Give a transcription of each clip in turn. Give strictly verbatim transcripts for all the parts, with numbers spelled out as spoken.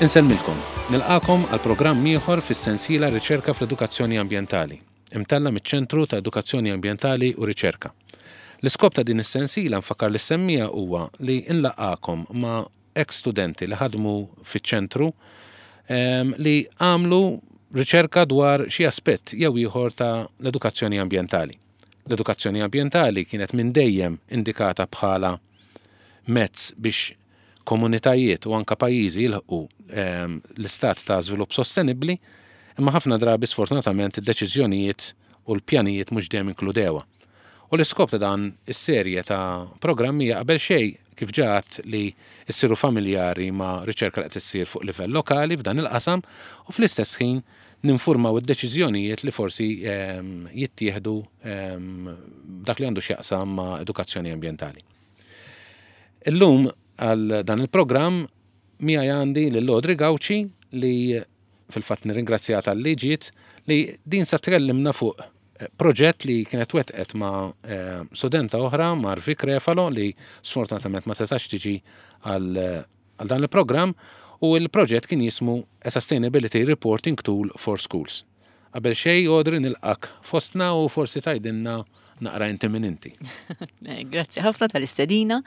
Insellmilkom, nilqagħkom għal programm ieħor fis-sensiela Riċerka fl-Edukazzjoni Ambjentali, imtella' miċ-Ċentru ta' Edukazzjoni Ambjentali u Riċerka. L-iskop ta' din is-sensiela, nfakkar lis-semmiegħa, huwa li nlaqqagħkom ma' ex studenti li ħadmu fiċ-ċentru em, li għamlu riċerka dwar xi aspett jew ieħor ta' l-edukazzjoni ambjentali. L-edukazzjoni ambjentali kienet minn dejjem indikata bħala mezz biex komunitajiet u anka pajjiżi jilħqu ehm, l-istat ta' żvilupp sostenibbli, imma ħafna drabi, sfortunatament, id-deċiżjonijiet u l-pjanijiet mhux dejjem inkludewha. U l-iskop ta' dan is-serje ta' programmi hija qabel xejn, kif ġat, li issiru familjari ma' riċerka li qed issir fuq livell lokali f'dan il-qasam u fl-istess ħin ninfurmaw id-deċiżjonijiet li forsi ehm, jittieħdu ehm, dak li għandu x'jaqsam ma' edukazzjoni ambjentali. Illum għal dan il-programm miegħi għandi lil Audrey Gauci, li fil-fatt nirringrazzjaha talli ġiet, li din sa tkellimna fuq eh, proġett li kienet wetqet ma' eh, studenta oħra, Marvi Crefalo, li sfortunatament ma setax tiġi għal għal dan il-programm, u il-proġett kien jismu A Sustainability Reporting Tool for Schools. Qabel xej, Audrey, nilqgħek fostna u forsi tgħidilna naqra inti min inti. Eh, Grazzi ħafna tal-istedina.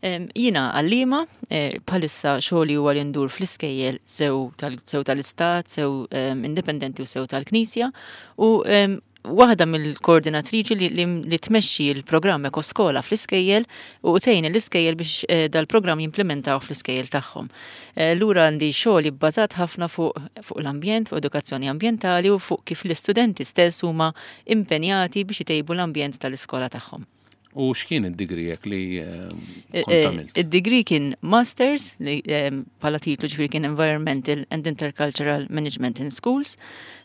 Em, Jiena għallima, eh, bħalissa xogħli huwa li ndur fl-iskejjel sew tal- sew tal-istat, sew em, indipendenti u sew tal-Knisja, u em, waħda mill-koordinatriċi li, li, li tmexxi l-programm Ekoskola fl-iskejjel u tgħin l-iskejjel biex eh, dal-programm jimplementaw fl-iskejjel tagħhom. Eh, Lura għandi xogħol bbażat ħafna fuq fuq l-ambjent, fuq edukazzjoni ambjentali u fuq kif l-istudenti stess huma impenjati biex itejbu l-ambjent tal-iskola tagħhom. U x'kien id-degree jekk li eh, Eh, kont għamilt? Id-degree kien Masters li em, bħala titlu, ġifieri, kien Environmental and Intercultural Management in Schools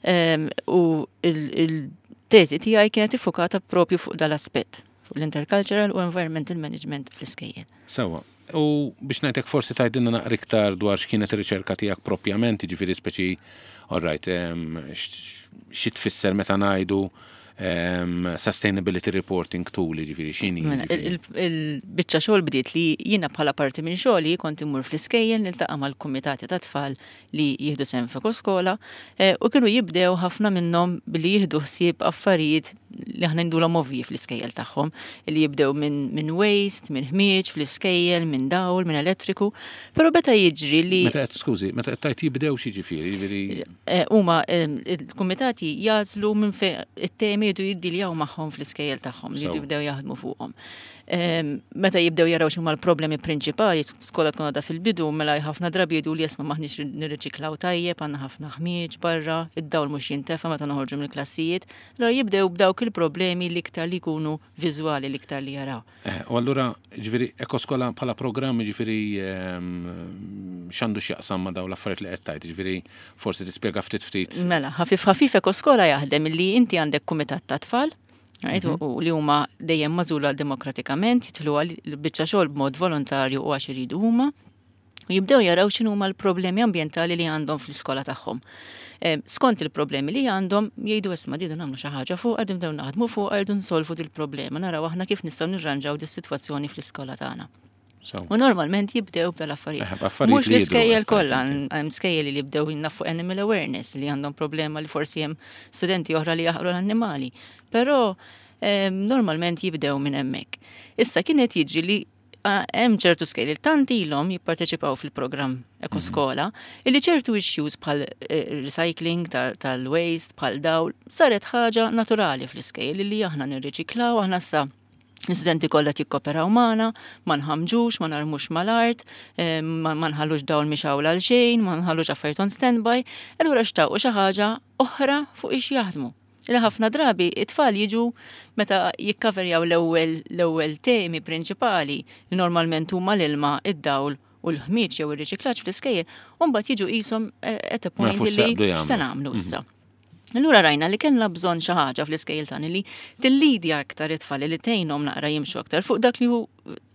Em, u il-teżi tiegħi kienet iffokata propju fuq dal-aspett, fuq l-intercultural u environmental management fl-iskejjel. Sewwa. U biex ngħidlek, forsi tgħidilna naqra iktar dwar x'kienet ir-riċerka tiegħek propjament, jiġifieri speċi, all right, em, x- xi tfisser meta ngħidu em, sustainability reporting tool, jiġifieri x'inhi? Mela, jiġifieri? il- il-biċċa xogħol bdiet li jiena bħala parti minn xogħli kont immur fl-iskejjel niltaqa' mal-kumitati ta' tfal li jieħdu sehem f'Ekoskola eh, u kienu jibdew ħafna minnhom billi jieħdu ħsieb affarijiet li aħna ngħidulhom ovvji fl-iskejjel tagħhom, li jibdew minn min waste, minn ħmieġ fl-iskejjel, minn dawl, minn elettriku, però beta jiġri li Meta qed, skużi, meta qed tgħid jibdew, xi ġifieri, jiġifieri Eh, huma eh, il-kumitati jagħżlu minn fejn it-temi jridu jiddiljaw magħhom fl-iskejjel tagħhom, li Sew. jridu jibdew jaħdmu fuqhom. Em, Meta jibdew jaraw x'huma l-problemi prinċipali, skola tkun għadha fil-bidu, mela ħafna drabi jgħidu li isma' m'aħniex nirriċiklaw tajjeb, għandna ħafna ħmieġ barra, id-dawl mhux jintefa meta noħorġu mill-klassijiet, allura jibdew b'dawk il-problemi l-iktar li jkunu viżwali, l-iktar li jaraw. Eh, u allura, ġifieri, Ekoskola bħala programm, ġifieri, ehm, x'għandu x'jaqsam ma' dawn l-affarijiet li qed tgħid, ġifieri, forsi tispjega ftit ftit. Mela, ħafif ħafif, Ekoskola jaħdem li inti għandek kumitat ta' tfal, right, u u li huma dejjem magħżula demokratikament, jidħlu għal biċċa xogħol b'mod volontarju u għax iridu huma, u jibdew jaraw x'inhu huma l-problemi ambjentali li għandhom fl-iskola tagħhom. Eh, Skont il-problemi li għandhom jgħidu: "Isma', rridu nagħmlu xi ħaġa fuq, rridu nibdew naħdmu fuq, rridu nsolvu dil-problema, naraw aħna kif nistgħu nirranġaw dis-sitwazzjoni fl-iskola tagħna." So, U normalment jibdew b'dal-affarijiet. Eh, b'affarijiet Mhux li jidhru, l-iskejjel qed kollha, tgħid. hemm skejjel li jibdew jinnafu animal awareness, li għandhom problema li forsi hemm studenti oħra li jaħqru l-annimali. Però em, normalment jibdew minn hemmhekk. Issa kienet jiġri li ah, hemm ċertu skejjel tant ilhom jipparteċipaw fil-programm Ekoskola illi ċertu issues bħal eh, recycling ta- tal-waste, bħal dawl, saret ħaġa naturali fl-iskejjel li aħna nirriċiklaw, aħna sa l-istudenti kollha jikkoperaw magħna, ma nħamġux, ma narmux mal-art, eh, ma ma nħallux dawl mixgħul għal xejn, ma nħallux affarijiet on standby, allura xtaqu xi ħaġa oħra fuq ix jaħdmu. Illa ħafna drabi it-tfal jiġu meta jikkaverjaw l-ewwel l-ewwel temi prinċipali li normalment huma l-ilma, id-dawl u l-ħmieġ jew ir-riċiklaġġ fl-iskejjel, u mbagħad jiġu qishom eh, at a Ma point jafux li x'jaqbdu x'se jagħmlu. nagħmlu issa. Allura rajna li kellna bżonn xi ħaġa fl-iskejjel tagħna li tillidja aktar it-tfal, li tgħinhom naqra jimxu aktar fuq dak li hu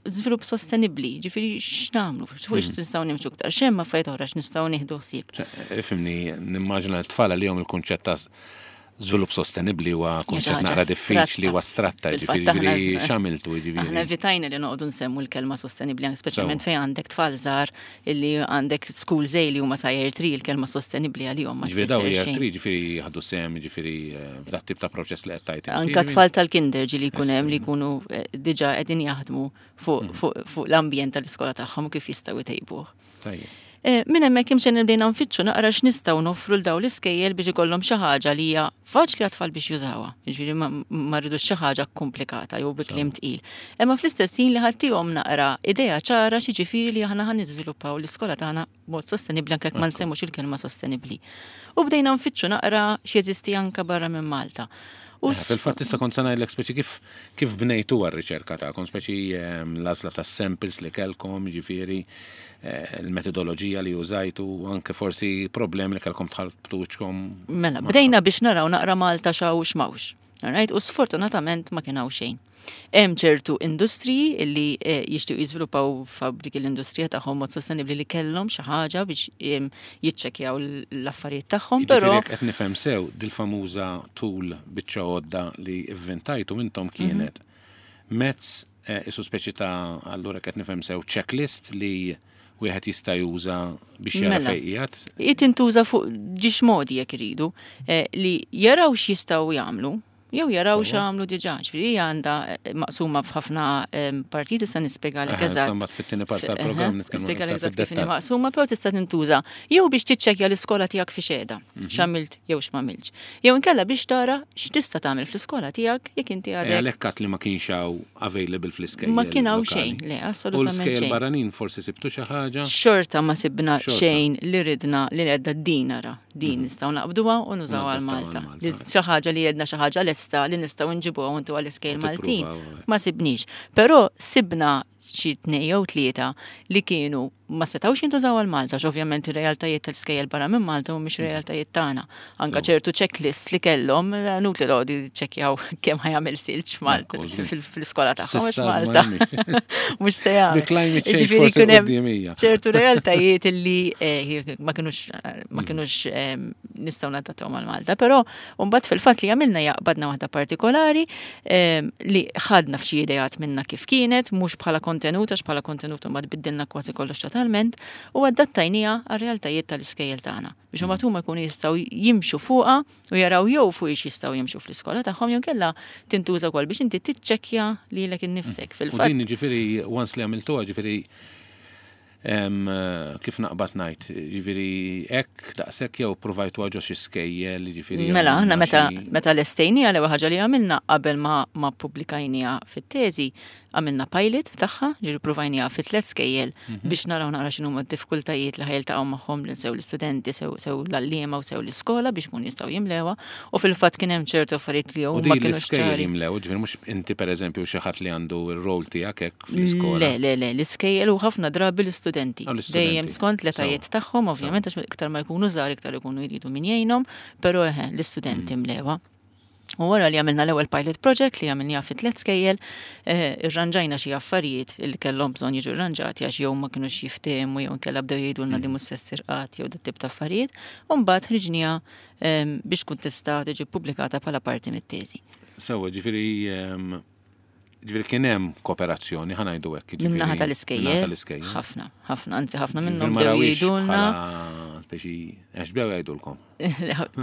żvilupp sostenibbli, ġifieri x'nagħmlu, fuq x nistgħu nimxu aktar, x'hemm affarijiet oħra x'nistgħu nieħdu ħsieb. Ifhimni, nimmaġina t-tfal li jom il-kunċett ta' Żvilupp sostenibbli huwa kunċett naqra diffiċli u astratta, ġifieri x'għamiltu ġifieri. Aħna evitajna li noqogħdu nsemmu l-kelma sostenibbli, speċjalment fejn għandek tfal żgħar illi għandek school li huma sa year three, il-kelma sostenibbli għalihom ma Ġifieri daw year three ġifieri ħadu sehem ġifieri eh, f'dat tip ta' proċess li qed tgħid. Anka tfal tal-kinder ġieli jkun hemm li jkunu eh, diġà qegħdin jaħdmu fuq mm. l-ambjent tal-iskola tagħhom kif jistgħu jtejbuh. Tajjeb. Eh, minn hemmhekk imxejn bdejna nfittxu naqra x'nistgħu noffru 'l dawn l-iskejjel biex ikollhom xi ħaġa li hija faċli għat-tfal biex jużawha. Jiġifieri ma rridux xi ħaġa komplikata jew bi kliem tqil. Imma fl-istess ħin li ħattihom naqra idea ċara x'jiġifieri li aħna ħa niżviluppaw l-iskola tagħna b'mod sostenibbli anke ma nsemmux il-kelma sostenibbli. U bdejna nfittxu naqra x'jeżisti anke barra minn Malta. U eh, fil-fatt issa kont se ngħidlek speċi kif kif bnejtu r-riċerka tagħkom, speċi ehm, l-għażla tas-samples li kellkom, jiġifieri eh, il-metodoloġija li użajtu, anke forsi problemi li kellkom tħarbtu wiċċkom. Mela, bdejna biex naraw naqra Malta x'hawn x'm'hawnx. Right? U sfortunatament ma kien hawn xejn. Hemm ċertu industriji illi eh, jixtiequ jiżviluppaw fabbriki l-industrija tagħhom mod sostenibbli li kellhom xi ħaġa biex jiċċekkjaw l-affarijiet tagħhom, però qed nifhem sew dil-famuża tool, biċċa għodda li ivvintajtu intom kienet mhm. mezz eh, isu speċi ta', allura qed nifhem sew, checklist li wieħed jista' juża biex jara mela, fejn qiegħed. Tintuża fuq żewġ modi jekk iridu eh, li jaraw x'jistgħu jagħmlu jew jaraw x'għamlu diġà. Ġifieri hija għandha eh, maqsuma f'ħafna partijiet, issa nispjegalek eżatt. Insomma, fit-tieni part tal-programm nitkellmu. Nispjegalek eżatt kif inhi maqsuma, però tista' tintuża jew biex tiċċekkja l-iskola tiegħek fi xeda, mhm. x'għamilt jew x'm'għamiltx. Jew inkella biex tara x'tista' tagħmel fl-iskola tiegħek jekk inti għadek. Għalhekk li ma kienx hawn available fl-iskejjel. Ma kien hawn xejn, le, assolutament xejn. U barranin forsi sibtu xi ħaġa? Xorta ma sibna xejn li ridna li għedna din ara, din mhm. nistgħu naqbduha u nużaw għal Malta. Xi ħaġa li għedna xi ħaġa lesta li nistgħu nġibuha untu għall-iskejjel Maltin. Ma sibniex. Però sibna xi tnejn jew tlieta li kienu ma setawx jintużaw għal Malta, ovvjament ir-realtajiet tal-iskejjel barra minn Malta mhumiex mm. realtajiet tagħna. Anka ċertu checklist li kellhom, nut li lodi ċekkjaw kemm ħa jagħmel silġ Malta fil-iskola tagħhom Malta. Mhux se jagħmel. Ġifieri kien hemm ċertu realtajiet li eh, ma kinux ma mm. kinux eh, nistgħu nadattawhom għal Malta, però mbagħad fil-fatt li għamilna jaqbadna waħda partikolari eh, li ħadna f'xi ideat minna kif kienet, mhux bħala kontenut, għax bħala kontenut mbagħad biddilna kważi kollox totalment, u adattajnieha għar-realtajiet tal-iskejjel tagħna biex huma huma jkunu jistgħu jimxu fuqha u jaraw jew fuq ix jistgħu jimxu fl-iskola tagħhom jew kella tintuża wkoll biex inti tiċċekkja lilek innifsek fil-fatt. U din ġifieri once li għamiltuha, ġifieri kif naqbad ngħid, ġifieri hekk daqshekk jew provajtu ġo xi skejjel, ġifieri. Mela, aħna meta meta lestejnieha, l-ewwel ħaġa li għamilna qabel ma ma ppubblikajnieha fit-teżi, għamilna pilot tagħha, ġifieri provajnieha fit tliet skejjel mhm. biex naraw naqra x'inhuma d-diffikultajiet li ħa jiltaqgħu magħhom sew l-istudenti, sew sew l-għalliema u sew l-iskola biex kun jistgħu jimlewha, u fil-fatt kien hemm ċertu affarijiet li huma kienu ċari. Jimlew, ġifieri mhux inti pereżempju xi ħadd li għandu r-rol tiegħek hekk fl-iskola. Le, le, le, l-iskejjel u ħafna drabi l-istudenti. Dejjem skont l-etajiet tagħhom, ovvjament, għax iktar ma jkunu żgħar iktar ikunu jridu min jgħinhom, però eħe, l-istudenti mm. mlewha. U wara li għamilna l-ewwel pilot project li għamilniha fi tliet skejjel, eh, irranġajna xi affarijiet li kellhom bżonn jiġu irranġati għax jew ma kinux jiftehmu jew inkella bdew jgħidulna li mm. mhux se ssir qatt jew dat tip ta' affarijiet, u mbagħad ħriġnieha ehm, biex tkun tista' tiġi pubblikata bħala parti mit-teżi. Sewwa, ġifieri ehm, ġifieri kien hemm kooperazzjoni, ħa ngħidu hekk. Min-naħa tal-iskejjel. Ħafna, ħafna, anzi ħafna minnhom bdew jgħidulna. Speċi, għax bdew jgħidulkom.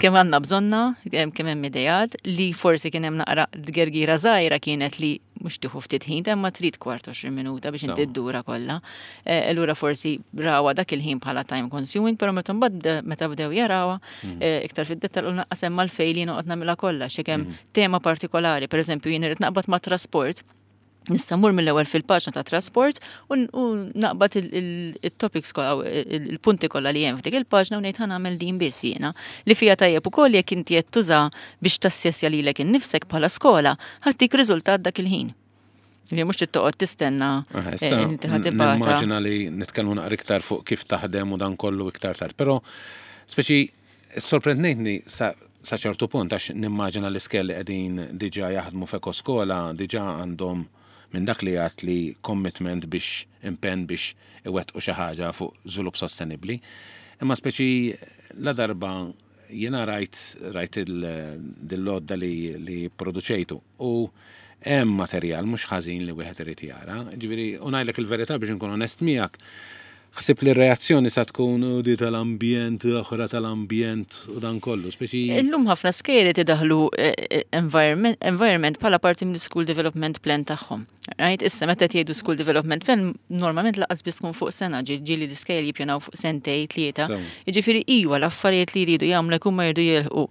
Kemm għandna bżonna, kemm hemm idejat li forsi kien hemm naqra dgergira żgħira kienet li mhux tieħu ftit ħin, imma trid kwart għoxrin minuta biex inti ddura kollha. Eh, allura forsi rawa dak il-ħin bħala time consuming, però meta mbagħad meta bdew jarawha mm. eh, iktar fid-dettall u naqqas hemm għalfejn li noqgħod nagħmilha kollha xi kemm mm. tema partikolari, pereżempju jien irid naqbad ma' trasport, nista' mmur mill-ewwel fil-paġna ta' trasport u naqbad il-topics kollha, il-punti kollha li hemm f'dik il-paġna u ngħid ħa nagħmel din biss jiena. Li fija tajjeb ukoll jekk inti qed tuża biex tassessja lilek innifsek bħala skola, ħa ttik riżultat dak il-ħin. Li mhux toqgħod tistenna eh, inti ħa tibgħatha. Nimmaġina li nitkellmu naqra iktar fuq kif taħdem u dan kollu iktar tard, però speċi sorprendejtni sa sa ċertu punt għax nimmaġina l-iskejjel li qegħdin diġà jaħdmu f'ekoskola diġà għandhom minn dak li għat li commitment biex impenn biex iwettqu xi ħaġa fuq żvilupp sostenibbli. Imma speċi la darba Jiena rajt rajt il-għodda li, li produċejtu u hemm materjal mhux ħażin li wieħed irid jara. Ġifieri, u ngħidlek il-verità biex inkun onest miegħek, ħsib li r-reazzjoni sa tkun "U di tal-ambjent, oħra tal-ambjent u dan kollu, speċi. Illum ħafna skejjel idaħlu eh, eh, environment, environment bħala parti mill school development plan tagħhom. Right? Issa meta jgħidu school development plan normalment lanqas biss tkun fuq sena, ġieli l-iskejjel jippjanaw fuq sentej, tlieta. Jiġifieri iwa l-affarijiet li jridu jagħmlu jkun ma jridu jilħqu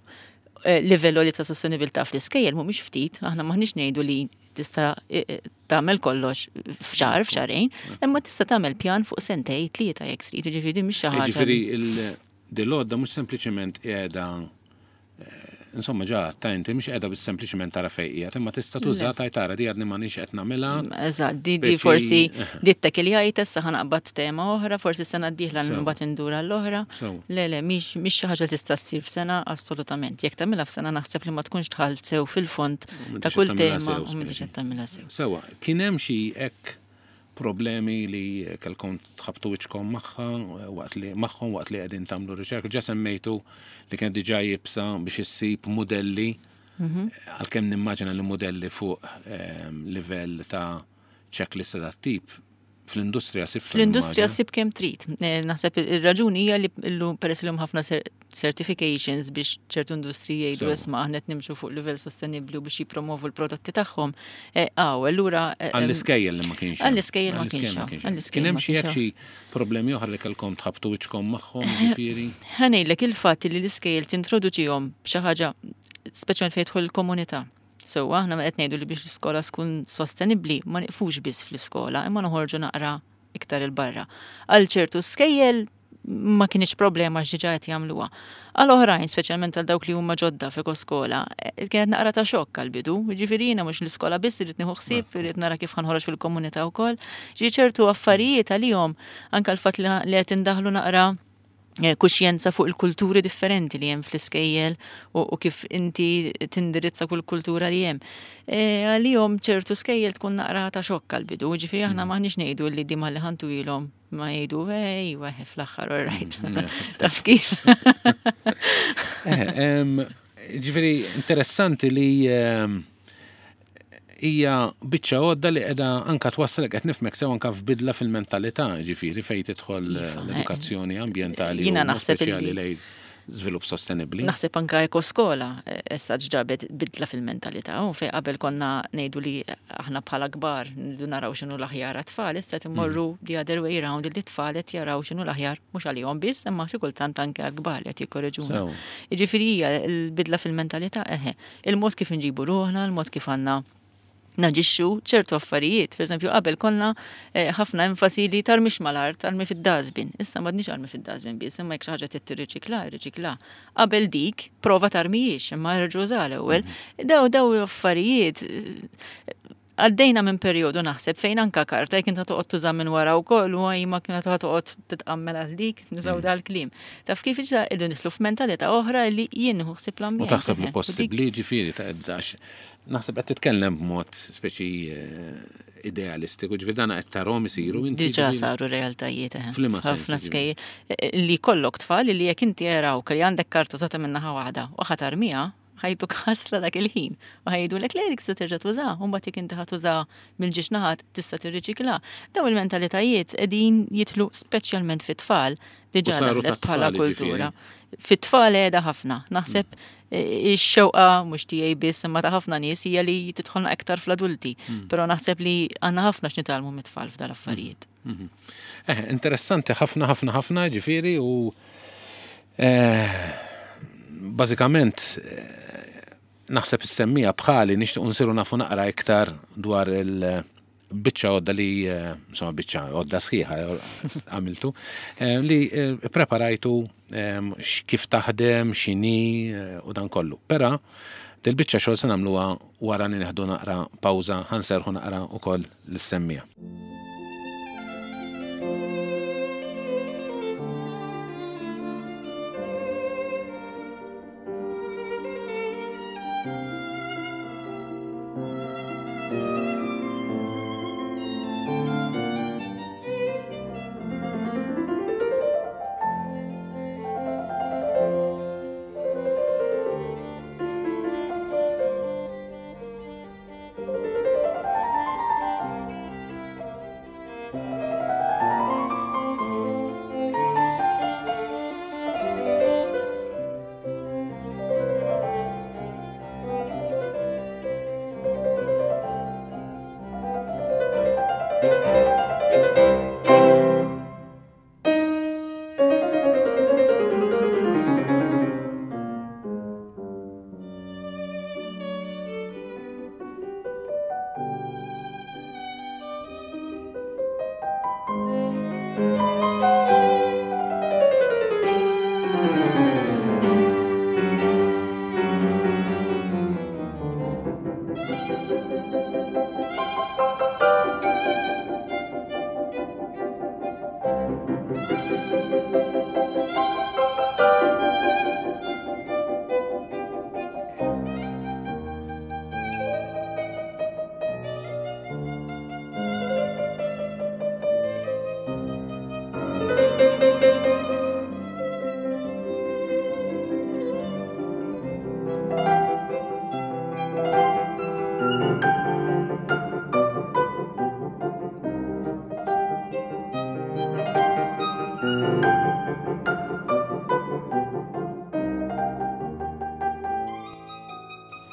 eh, livell li ta' sostenibilità fl-iskejjel mhumiex ftit, aħna maħniex ngħidu li tista' eh, eh, tagħmel kollox f'xahar, f'xahrejn, imma tista' tagħmel pjan fuq sentej, tlieta jekk trid, jiġifieri din mhix xi ħaġa. Ġifieri il-għodda mhux sempliċement qiegħda, insomma, ġa ta' inti mhux qiegħda biss sempliċement tara fejn qiegħed, imma tista' tuża tajt tara di għadni m'għandix qed nagħmilha. Eżatt, di, di Speċi- forsi dittek li għajt issa ħa naqbad tema oħra, forsi sena d-dieħla Sew. mbagħad indura l-oħra. Sew. Le, le, mhix mhix xi ħaġa li tista' ssir f'sena assolutament. Jekk tagħmilha f'sena naħseb li ma tkunx dħalt sew fil-fond ta' m'intix kull qed tagħmilha tema sew, u m'intix speċi. qed tagħmilha sew. Sewa, kien hemm xi hekk problemi li kellkom tħabtu wiċċkom magħha waqt li magħhom waqt li qegħdin tagħmlu riċerka? Ġa semmejtu li kienet diġà iebsa biex issib modelli, għalkemm nimmaġina li modelli fuq ehm, livell ta' checklist ta' tip fl-industrija sibtu. Fl-industrija nimmaġina. sib kemm trid. Eh, Naħseb ir-raġuni hija li illum peress li ħafna cer- certifications biex ċertu industriji jgħidu Sew. isma' aħna qed nimxu fuq livell sostenibbli u biex jippromovu l-prodotti tagħhom. Eh, Aw, allura eh, em, Għall-iskejjel li ma kienx hemm. Għall-iskejjel ma kienx hawn. Għall-iskejjel Kien hemm ma xi kienx hekk xi problemi oħra li kellkom tħabtu wiċċkom magħhom, ġifieri? Ħa ngħidlek il-fatt li l-iskejjel tintroduċihom b'xi ħaġa speċjalment fejn jidħol il-komunità. So, aħna ma qed ngħidu li biex l-iskola tkun sostenibbli ma niqfux biss fl-iskola, imma noħorġu naqra iktar il-barra. Għal ċertu skejjel ma kienx problema għax diġà qed jagħmluha. Għal oħrajn, speċjalment għal dawk li huma ġodda f'ekoskola, eh, kienet naqra ta' xokk għal bidu. Ġifieri jiena mhux l-iskola biss irrid nieħu ħsieb, irrid nara kif ħa nħroġ fil-komunità wkoll. Ġi ċertu affarijiet għalihom anke l-fatt li li qed indaħlu naqra eh, kuxjenza fuq il-kulturi differenti li hemm fl-iskejjel u, u kif inti tindirizza kull kultura li hemm. E, Għalihom ċertu skejjel tkun naqra ta' xokk għal-bidu, ġifieri aħna maħniex ngħidu li dima li ħantu ilhom ma jgħidu ej, weħe fl-aħħar, all right. Taf kif? Eh, em, Ġifieri, interessanti li em, hija biċċa għodda li qiegħda anka twassalek, qed nifhmek sew, anka f'bidla fil-mentalità, ġifieri fejn tidħol eh, Iva, l-edukazzjoni ambjentali Jiena u mod naħseb speċjali illi- lejn żvilupp sostenibbli. Naħseb anka ekoskola eh, issa ġabet bidla fil-mentalità u fej qabel konna ngħidu li aħna bħala kbar nridu naraw x'inhu l-aħjar għat-tfal, issa qed immorru the other way round li t-tfal qed jaraw x'inhu l-aħjar mhux għalihom biss, imma xi kultant anke għall-kbar li qed jikkoreġuna. Sew. Jiġifieri hija l-bidla fil-mentalità eħe, il-mod kif nġibu ruħna, il-mod kif għandna naġixxu ċertu affarijiet. Per eżempju, qabel konna eh, ħafna enfasi li tarmix mal-art, tarmi fid-dustbin. Issa m'għadniex armi fid-dustbin biss, imma jekk xi ħaġa trid tirriċikla, irriċikla. Qabel dik, prova tarmijiex, imma erġa' uża l-ewwel. Daw daw affarijiet eh, għaddejna minn perjodu naħseb fejn anka karta jekk inta toqgħod tuża minn wara wkoll u ma kienet toqgħod titqammel għal dik, nużaw dal-kliem. Taf kif iġa irdu nidħlu f'mentalità oħra li jien nieħu ħsieb U l-ambjent. taħseb li eħe. U dik- possibbli, ġifieri, ta' għax naħseb qed titkellem b'mod speċi eh, idealistiku, ġifieri dana qed tarahom isiru inti. Diġà ġifieri? saru realtajiet, eħe. F'liema sens, Ħafna ġifieri? skejjel eh, li kollok tfal li jekk inti jarawk li għandek karta użata minn naħa waħda u ħa tarmiha, ħa jtuk ħasla dak il-ħin. U ħa jgħidulek le, dik se terġa' tuża, u mbagħad jekk inti ħa tuża mill-ġiex naħat tista' tirriċikla. Daw il-mentalitajiet qegħdin jidħlu speċjalment fit-tfal, diġà U saru daħlet bħala tat-tfal, kultura. Fit-tfal qiegħda ħafna. Naħseb eh, ix-xewqa mhux tiegħi biss imma ta' ħafna nies hija li tidħolna aktar fl-adulti. Però naħseb li għandna ħafna x'nitgħallmu mit-tfal f'dal affarijiet. Mhm. Eh, interessanti ħafna ħafna ħafna, ġifieri, u eh, bażikament eh, naħseb is-semmiegħa bħali nixtieq nsiru nafu naqra iktar dwar il-biċċa għodda li, eh, insomma, biċċa għodda sħiħa għamiltu, eh, li eh, preparajtu eh, x- kif taħdem, x'inhi eh, u dan kollu. Però dil-biċċa xogħol se nagħmluha wara li nieħdu naqra pawża, ħa nserrħu naqra ukoll lis-semmiegħa.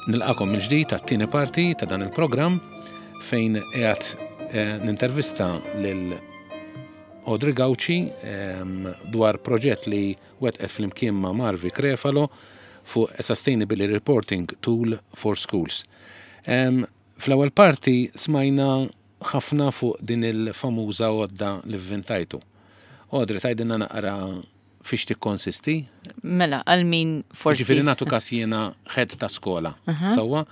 Nilqagħkom mill-ġdid għat-tieni parti ta' dan il-programm fejn qiegħed eh, nintervista lil Audrey Gauci ehm, dwar proġett li wettqet flimkien ma' Marvi Crefalo fuq a Sustainability Reporting Tool for Schools. Ehm, Fl-ewwel parti smajna ħafna fuq din il-famuża għodda li vvintajtu. Audrey, tgħidilna naqra fiex tikkonsisti? Mela, għal min forsi. Ġifieri nagħtu kas jiena head ta' skola, sewwa?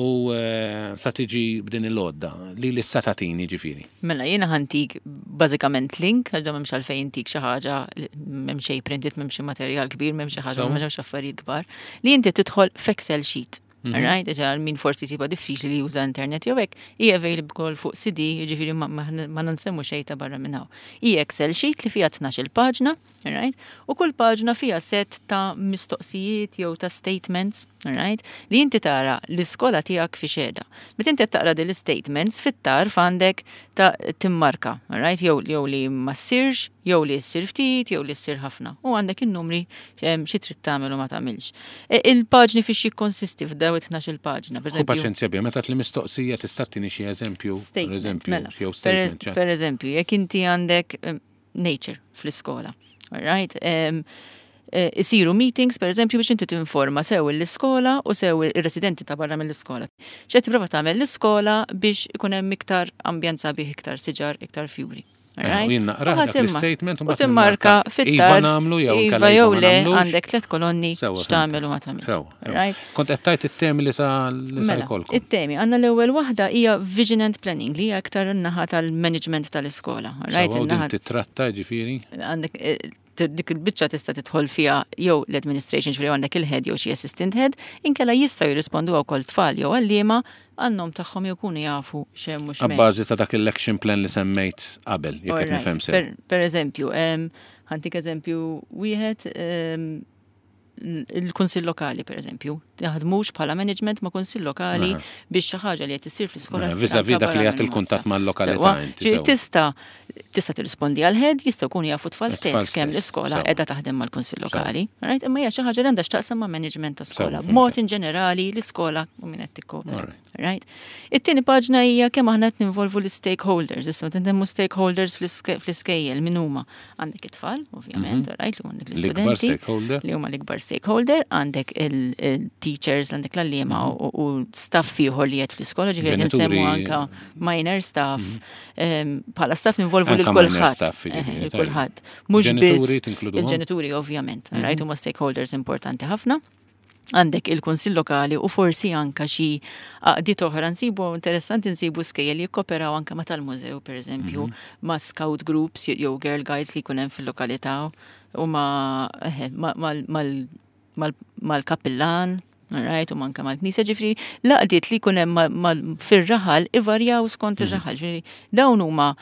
U eh, sa tiġi b'din il-għodda li li sa tagħtini ġifieri. Mela, jiena ħa ntik bażikament link, għax m'hemmx għalfejn intik xi ħaġa, m'hemm xejn printed, m'hemm xi materjal kbir, m'hemm xi ħaġa, So? m'hemm xi affarijiet kbar, li inti tidħol f'Excel sheet. Alright, ġa min forsi siba diffiċli li juża internet jew hekk, hija available fuq C D, jiġifieri ma, ma, ma nsemmu xejn ta' barra minn hawn. Hija Excel sheet li fiha tnax-il paġna, alright, u kull paġna fiha set ta' mistoqsijiet jew ta' statements, alright, li inti tara l-iskola tiegħek fi xeda. Meta inti qed taqra din l-statements, fit-tarf għandek ta' timmarka, alright, jew jew li ma ssirx, jew li ssir ftit, jew li ssir ħafna. U għandek in-numri em, xi trid tagħmel u ma tagħmilx. E, Il-paġni fiex jikkonsisti f'daw it-tnax-il paġna. Per U eżempju, paċenzja bija, meta li mistoqsija tista' tini xi eżempju, per statement, eżempju, mela. jew Per, statement. ċa. per eżempju, jekk inti għandek em, nature fl-iskola, alright? Um, isiru meetings, per eżempju, biex inti tinforma sew l-iskola u sew ir-residenti ta' barra mill-iskola. X'qed tipprova tagħmel l-iskola biex ikun hemm iktar ambjent sabiħ, iktar siġar, iktar fjuri. Eh, Alright? U jien naqra U ħa dak timma- l-statement u U mbagħad timmarka nimmarka fit-tarf. Iva nagħmlu jew Iva inkella jew iva ma le, nagħmlux. għandek tliet kolonni Sewwa, x'tagħmel u ma tagħmilx. Sew, sew. Alright? Kont qed tajt it-temi li sa li sa Mela, jkollkom. it-temi, għandna l-ewwel waħda hija vision and planning, li hija aktar in-naħa tal-management tal-iskola. Right? Sewwa, u din In-naħa titratta ġifieri. għandek eh, t- dik il-biċċa tista' tidħol fiha jew l-administration, ġifieri għandek il-head jew xi assistant head, inkella jistgħu jirrispondu wkoll tfal jew għalliema għan-nom tagħhom jew jkunu jafu x'hemm u x'm'hemmx. Abbażi ta' dak il-action plan li semmejt qabel, jekk qed Alright. nifhem sew. Per, per eżempju, em, ħa ntik eżempju wieħed, em, il-kunsill lokali, per eżempju, jaħdmux bħala management ma' kunsill lokali Aha. biex xi ħaġa li qed issir fl-iskola Aha, ssir vis-à-vis anka dak li barra għat minn il-kuntatt Malta. mal-lokalità Sewwa, inti, ġifieri sewwa. Tista' tista' tirrispondi għal head, jistgħu jkunu jafu tfal Tfal stess kemm stess, l-iskola sewwa. qiegħda taħdem mal-kunsill lokali. Right? Imma hija xi ħaġa li għandha x'taqsam ma' management ta' skola. Sewwa, B'mod fhimtek. in ġenerali l-iskola u min qed tikkopera. Alright. Right? It-tieni paġna hija kemm aħna qed ninvolvu l-stakeholders. Issa meta ntemmu stakeholders fl-iske- fl-iskejjel min huma? Għandek it-tfal, ovvjament, right, li għandek L-ikbar l-istudenti. stakeholder. Li huma l-ikbar stakeholder, għandek il-teachers, għandek l-għalliema u u staff ieħor li qed fl-iskola, ġifieri Ġenituri. nsemmu anka minor staff, em, bħala staff ninvolvu lil Anka minor kulħadd. staff, jiġifieri, Eħe, lil tajjeb. kulħadd. Mhux Ġenituri biss tinkluduhom? il-ġenituri ovvjament, right, huma stakeholders importanti ħafna. Għandek il-kunsill lokali u forsi anka xi għaqdiet oħra. Nsibu interessanti nsibu skejjel li jikkoperaw anka ma tal-mużew, per eżempju, ma' scout groups jew girl guides li jkun hemm fil-lokalità u ma' eħe, ma- mal- mal- mal- mal-kappillan, right, u manka mal-knisja, ġifieri l-għaqdiet li jkun hemm ma- ma- fir-raħal ivarjaw skont ir-raħal, ġifieri dawn huma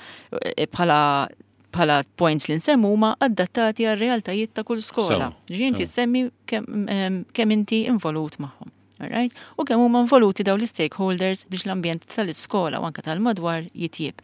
eh, bħala bħala points li nsemmu huma adattati għal realtajiet ta' kull skola. Sew, Ġifieri inti sew. tsemmi kemm em, kemm inti involut magħhom. Alright? U kemm huma involuti dawn l-stakeholders biex l-ambjent tal-iskola u anka tal-madwar jitjieb.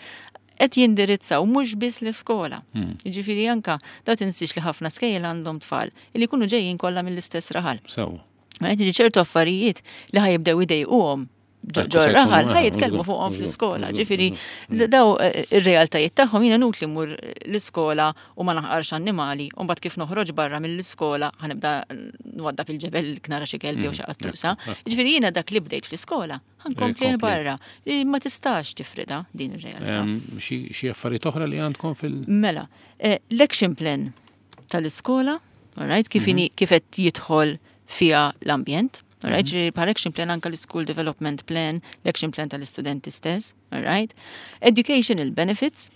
Qed jindirizzaw mhux biss l-iskola. Jiġifieri anka da tinsiex li ħafna skejjel għandhom tfal li jkunu ġejjin kollha mill-istess raħal. Sew. Right? Ġifieri ċertu affarijiet li ħa jibdew idejquhom ġo Ekku, ġo se raħal jkunu, ħa eh, jitkellmu żgur, fuqhom żgur, fl-iskola. żgur, Ġifieri żgur. daw eh, ir-realtajiet tagħhom, jiena nut li mmur l-iskola u ma naħqarx annimali u mbagħad kif noħroġ barra mill-iskola ħa nibda nwaddab il-ġebel nara xi kelb jew xi qattusa. Ġifieri jiena dak li bdejt fl-iskola ħa nkompli Jkompli. barra. Li ma tistax tifrida din ir-realtà. Em, Xi xi affarijiet oħra li għandkom fil- Mela, eh, l-action plan tal-iskola, alright, kif inhi kif qed jidħol fiha l-ambjent, alright, ġifieri bħal action plan anka l-school development plan, l-action plan tal-istudenti stess, alright. Educational benefits,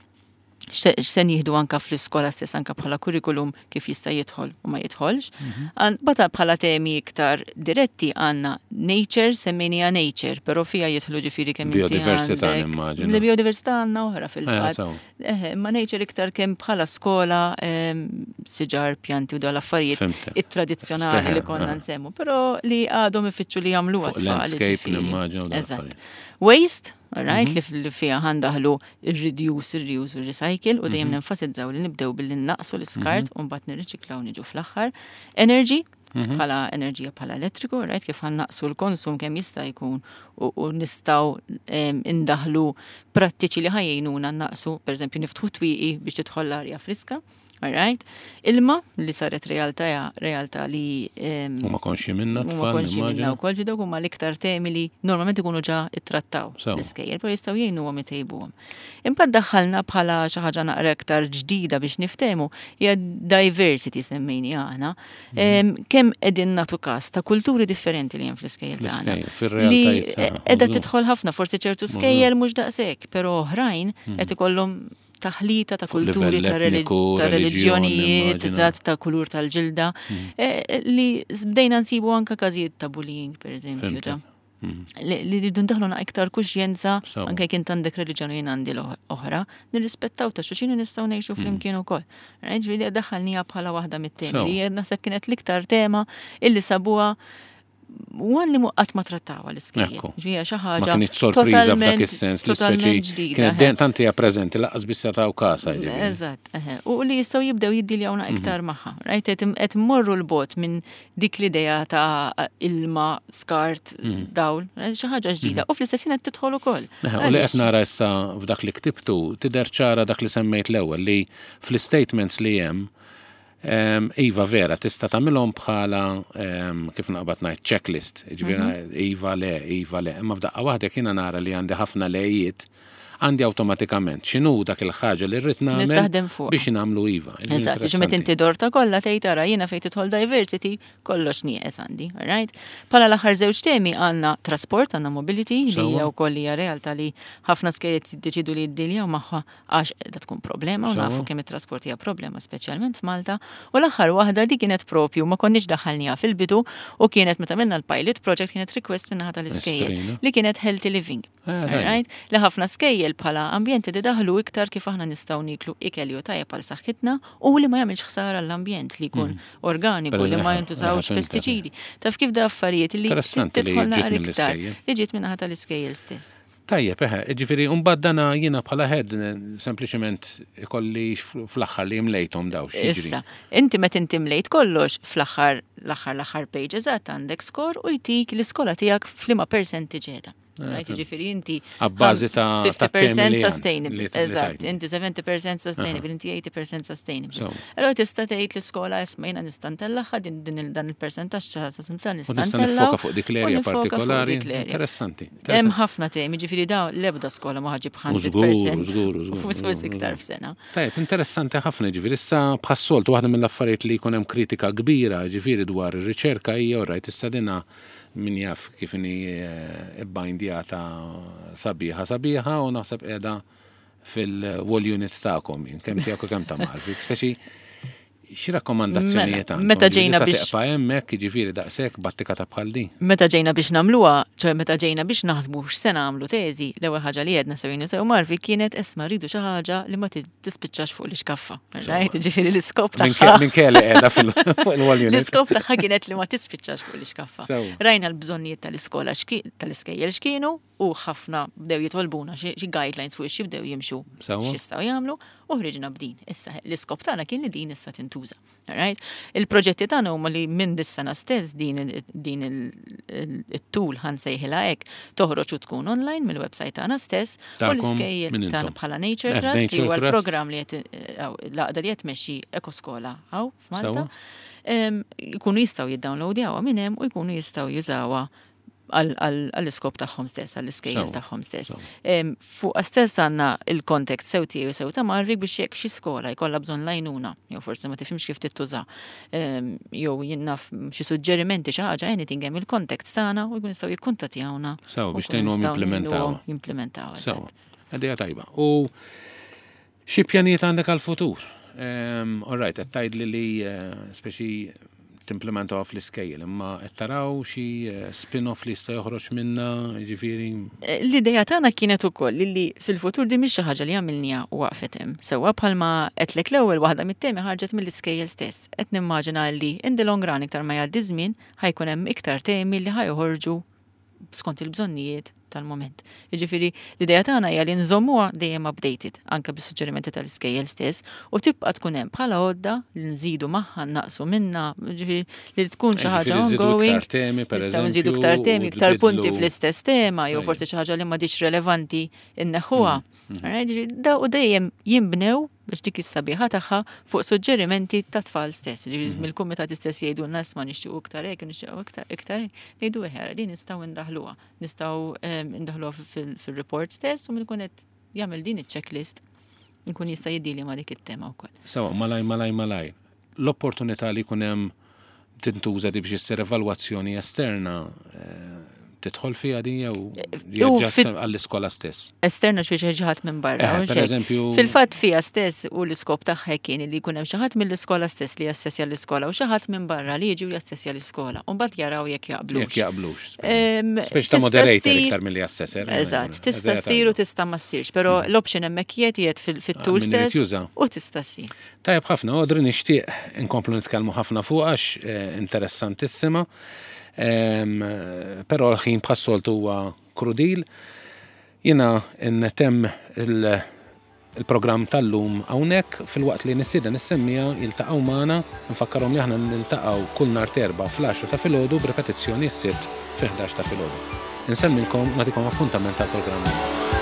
x'se nieħdu anka fl-iskola stess, anka bħala curriculum, kif jista' jidħol u ma jidħolx. Għan- Bata bħala temi iktar diretti għandna nature, semmejnija nature, però fija jidħlu ġifieri kemm inti Biodiversità, għandek- nimmaġina. Il-biodiversità għandna oħra Eh, fil-fatt. sew. Eħe, ma nature iktar kemm bħala skola, em, siġar, pjanti u dal affarijiet Fhimtek. it-tradizzjonali li Eħe, konna eħe. nsemmu, però li għadhom ifittxu li jagħmluha Fuq tfal, landscape ġifieri. nimmaġina u dawn Eżatt. l-affarijiet. Waste, alright, li f- li fiha ħa ndaħlu il-reduce, il-reuse u recycle u dejjem nenfasizzaw li nibdew billi naqsu l-iskart u mbagħad nirriċiklaw, niġu fl-aħħar. Energy, Mhm. Bħala enerġija, bħala elettriku, right? Kif ħa nnaqqsu l-konsum kemm jista' jkun u, u nistgħu em, indaħlu prattiċi li ħa jgħinuna nnaqqsu, per eżempju niftħu twieqi biex tidħol l-arja friska, alright? Ilma li saret realtà realtà li em, Huma konxji minna huma tfal, konxji minna nimmaġina. wkoll, ġi dawk huma l-iktar temi li normalment ikunu ġa ittrattaw Sewa. l-iskejjel, però jistgħu jgħinuhom itejbuhom. Imbagħad daħħalna bħala xi ħaġa naqra iktar ġdida biex niftehmu hija diversity semmejni aħna. Mhm. Em, Kemm qegħdin nagħtu każ ta' kulturi differenti li hemm fl-iskejjel tagħna. Fl-iskejjel, fir-realtajiet Li tagħna, qiegħda mażgur. tidħol ħafna, forsi ċertu skejjel mhux daqshekk, però oħrajn qed ikollhom taħlita ta' Fuq kulturi, livell ta' reli- etniku, ta' reliġjon, reliġjonijiet, immaġina. ta' ta' kulur tal-ġilda, eh, li bdejna nsibu anka każijiet ta' bullying, per eżempju, Fhimtek. ta' li li rridu ndaħlu iktar kuxjenza Sewa. anke jekk int għandek reliġjoni, jien għandi l-oħra, nirrispettaw ta' xulxin u nistgħu ngħixu flimkien ukoll. Ġifieri daħħalniha bħala waħda mit-temi Sewa. li naħseb kienet l-iktar tema illi sabuha one li qatt ma trattawa l-iskejjel. Ekku. Ġifieri xi Ma ħaġa kienx sorpriża f'dak totalment- is-sens li totalment speċi ġdida, kienet eħe. dejjem tant hija preżenti lanqas biss taw kasa ġifieri. Eżatt, eħe. U li jistgħu jibdew jiddiljawna Mhm. iktar magħha. Right? Qed qed immorru 'l bogħod minn dik l-idea ta' ilma, skart, Mhm. dawl, eh, xi ħaġa ġdida. U fl-istess ħin qed tidħol ukoll. Eħe, u li Għaliex? qed nara issa f'dak li ktibtu tidher ċara dak li semmejt l-ewwel li fl-statements li hemm em, iva vera, tista' tagħmilhom bħala em, kif naqbad ngħid checklist, ġifieri iva le, iva le, imma f'daqqa waħda jiena nara li għandi ħafna lejiet, għandi awtomatikament x'inhu dak il-ħaġa li rrid nagħmel taħdem fuqha. biex nagħmlu iva. Ġifieri Eżatt, ġi meta inti dorta kollha tgħid ara jiena fejn tidħol diversity, kollox nieqes għandi, alright? Bħala l-aħħar żewġ temi għandna trasport, għandna mobility, li Sewa. hija wkoll hija realtà li ħafna skejjel jiddeċidu li jiddiljaw magħha għax qiegħda tkun problema u Sewa. nafu kemm it-trasport hija problema speċjalment f'Malta. U l-aħħar waħda di kienet propju ma konniex daħħalniha fil-bidu u kienet meta minna l-pilot project kienet request min-naħa tal-iskejjel Estrina. li kienet healthy living. Ah, Alright? Li ħafna skejjel bħala ambjenti di daħlu iktar kif aħna nistgħu niklu ikel ju tajjeb għal saħħitna u li ma jagħmilx ħsara l-ambjent, li jkun organiku, Però li ma eħe, jintużawx eħe, fhimtek. pestiċidi. Taf kif da affarijiet li Interessanti li tidħol ġiet naqra iktar mill-iskejjel. li ġiet min-naħa tal-iskejjel stess. Tajjeb, eħe, ġifieri, mbagħad dana jiena bħala head sempliċement ikolli fl-aħħar li mlejthom daw x'jiġri. Issa, inti meta inti mlejt kollox fl-aħħar l-aħħar l-aħħar page eżatt għandek score u jtik l-iskola tiegħek f'liema percentage qiegħda. Right, ġifieri inti Abbażi ta' ta' temi fifty percent li għand, sustainable. li- li Eżatt, tajt. inti seventy percent sustainable, inti eighty percent sustainable. So. Allora tista' tgħid l-iskola isma' jiena nista' ntellagħha din din il- dan il-percentaġġ ta' U nista' nista' ntellgħu nifoka fuq dik u l-erja nifoka fuq partikolari. dik l-erja. Interessanti. Hemm ħafna temi, ġifieri da l-ebda skola ma ħa ġġib żgur, mija fil-mija. żgur, żgur, Forsi żgur, iktar f'sena. Tajjeb, interessanti ħafna, ġifieri issa bħas-soltu waħda mill-affarijiet li jkun hemm kritika kbira ġifieri dwar ir-riċerka hija orajt issa dina min jaf kif inhi eh, ibbindjata sabiħa sabiħa u naħseb qiegħda fil-wall unit tagħkom jien, kemm tiegħek u kemm ta' Marvik. Speċi xi rakkomandazzjonijiet Mela, għandkom? meta Ġifieri ġejna sa biex- teqpa' hemmhekk, jiġifieri daqshekk battika ta' bħal din. Meta ġejna biex nagħmluha, ċoè meta ġejna biex naħsbu x'se nagħmlu teżi, l-ewwel ħaġa li għedna sew jien sew Marvi kienet esma rridu xi ħaġa li ma tispiċċax fuq l-iskaffa. Right? Ġifieri l-iskop tagħha. Minn kelli qiegħda fil- fuq il-wall unit. L-iskop tagħha kienet li ma tispiċċax fuq l-iskaffa. Sew. Rajna l-bżonnijiet tal-iskola xki- tal-iskejjel x'kienu u ħafna bdew jitolbuna xi xi guidelines fuq xi bdew jimxu Sewa. x'jistgħu jagħmlu u ħriġna b'din. Issa l-iskop tagħna kien li din issa tintuża. Alright? Il-proġetti tagħna huma li minn dis-sena stess din il- din il- it-tool ħa nsejħilha hekk toħroġ u tkun online mill-website tagħna stess u Tagħkom l-iskejjel min tagħna intom? bħala Nature Eh, Trust li Nature huwa Trust. l-programm li qed eh, l-għaqda li qed tmexxi Ekoskola hawn f'Malta. Sewa. Em, Jkunu jistgħu jiddownloadjawha minn hemm u jkunu jistgħu jużawha għall-iskop tagħhom stess, għall-iskejjel Sewa, tagħhom stess. sewa. Em, Fuq stess għandna il-contact sew tiegħi sew ta' Marvik biex jekk xi skola jkollha bżonn l-għajnuna, jew forsi ma tifhimx kif tittuża, em, jew jien naf xi suġġerimenti, xi ħaġa, anything, hemm il-contact tagħna u jkunu jistgħu jikkuntattjawna. Sewa, u biex nkunu tgħinuhom nistgħu jimplementaw. ngħinuhom jimplementaw. Sewa, eżatt. idea tajba. U xi pjanijiet għandek għal-futur? Um, all right, qed tgħidli li eh, speċi timplementaw fl-iskejjel, imma qed taraw xi eh, spin-off li jista' joħroġ minna, ġifieri. Eh, L-ideja tagħna kienet ukoll li fil-futur di mhix xi ħaġa li għamilniha u waqfet hemm. Sewwa bħalma qedlek l-ewwel waħda mit-temi ħarġet mill-iskejjel stess. Qed nimmaġina li in the long run iktar ma jgħaddi żmien ħa jkun hemm iktar temi li ħa joħorġu skont il-bżonnijiet Tal-moment. Jiġifieri l-idea tagħna hija li nżommuha dejjem updated anke bis-suġġerimenti tal-iskejjel stess u tibqa' tkun hemm bħala għodda li nżidu magħha, naqsu minna, jiġifieri li tkun xi ħaġa ongoing. Temi, per Nistgħu nżidu iktar temi, iktar punti fl-istess tema, jew forsi xi ħaġa li m'għadix relevanti inneħħuha. Mm. Da u dejjem jinbnew biex dik is-sabiħa tagħha fuq suġġerimenti ta' tfal stess. Ġifieri mhm. mill-kumitat stess jgħidu ma nixtiequ iktar hekk, nixtiequ iktar iktar, ngħidu eħera din nistgħu ndaħluha. Nistgħu ndaħluha fil-report stess u min ikun qed jagħmel din iċ-checklist nkun jista' jiddili ma' dik it-tema wkoll. Sawa, malaj, malaj, malaj. L-opportunità li jkun hemm tintuża di biex issir evalwazzjoni esterna eh, tidħol fiha din jew għall-iskola stess? Esterna xi xi ħadd minn barra. Eh, per eżempju. Fil-fatt fiha stess u l-iskop tagħha kien li jkun hemm xi ħadd mill-iskola stess li jassessja l-iskola u xi ħadd minn barra li jiġi u jassessja l-iskola. U mbagħad jaraw jekk jaqblux. Jekk jaqblux. Speċi ta' moderator iktar milli assessor. Eżatt, tista' ssir u tista' ma ssirx, però mm. l-option hemmhekk qiegħed fit-tool ah, stess u tista' ssir. Tajjeb ħafna, Audrey, nixtieq inkomplu nitkellmu ħafna fuq għax eh, interessantissima. Però l-ħin bħas-soltu huwa krudil. Jiena ntemm il-programm tal-lum hawnhekk filwaqt li nistieden is-semmiegħa jiltaqgħu magħna. Nfakkarhom li aħna niltaqgħu kull nhar t'Erbgħa fl-għaxra ta' filgħodu b'ripetizzjoni s-Sibt fi ħdax ta' filgħodu. Insellmilkom, nagħtikom appuntament tal-programm.